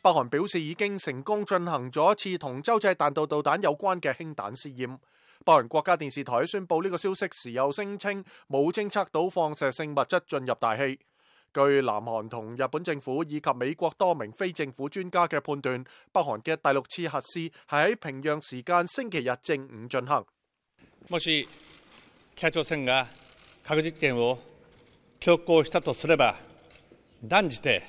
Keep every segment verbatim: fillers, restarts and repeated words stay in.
北韓表示已經成功進行咗一次同洲際彈道導彈有關嘅氫彈試驗。北韓國家電視台宣布呢個消息時又聲稱冇偵測到放射性物質進入大氣。據南韓同日本政府以及美國多名非政府專家嘅判斷，北韓嘅第六次核試係喺平壤時間星期日正午進行。もし北朝鮮が核実験を強行したとすれば、断じて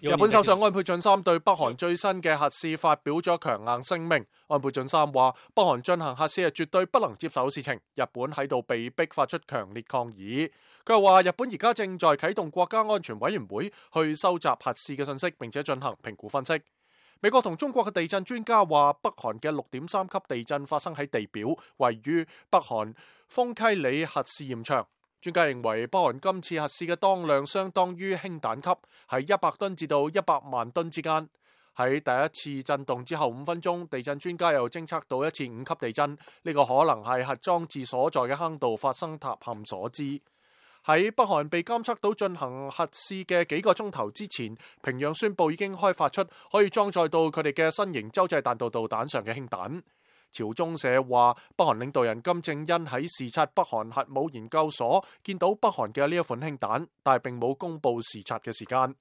日本首相安倍晉三對北韓最新嘅核試發表咗強硬聲明。安倍晉三話：北韓進行核試係絕對不能接受嘅事情，日本喺度被逼發出強烈抗議。佢又話：日本而家正在啟動國家安全委員會去收集核試嘅信息，並且進行評估分析。美國同中國嘅地震專家話，北韓嘅六點三級地震發生喺地表位於北韓豐溪里核試驗場。專家認為，北韓今次核試嘅當量相當於氫彈級，喺一百噸至到一百萬噸之間。喺第一次震動之後五分鐘，地震專家又偵測到一次五級地震，呢、這個可能係核裝置所在嘅坑道發生塌陷所致。喺北韓被監測到進行核試嘅幾個鐘頭之前，平壤宣布已經開發出可以裝載到佢哋嘅新型洲際彈道導彈上嘅氫彈。朝中社話，北韓領導人金正恩喺視察北韓核武研究所，見到北韓嘅呢一款氫彈，但係並冇公布視察嘅時間。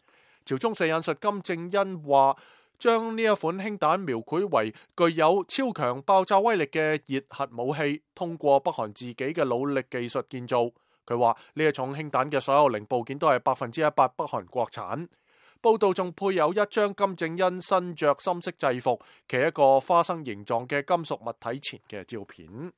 朝中社引述金正恩話，將呢一款氫彈描繪為具有超強爆炸威力嘅熱核武器，通過北韓自己嘅努力技術建造。佢話呢一種氫彈嘅所有零部件都係百分之一百北韓國產。報道仲配有一張金正恩身着深色制服，企一個花生形狀嘅金屬物體前嘅照片。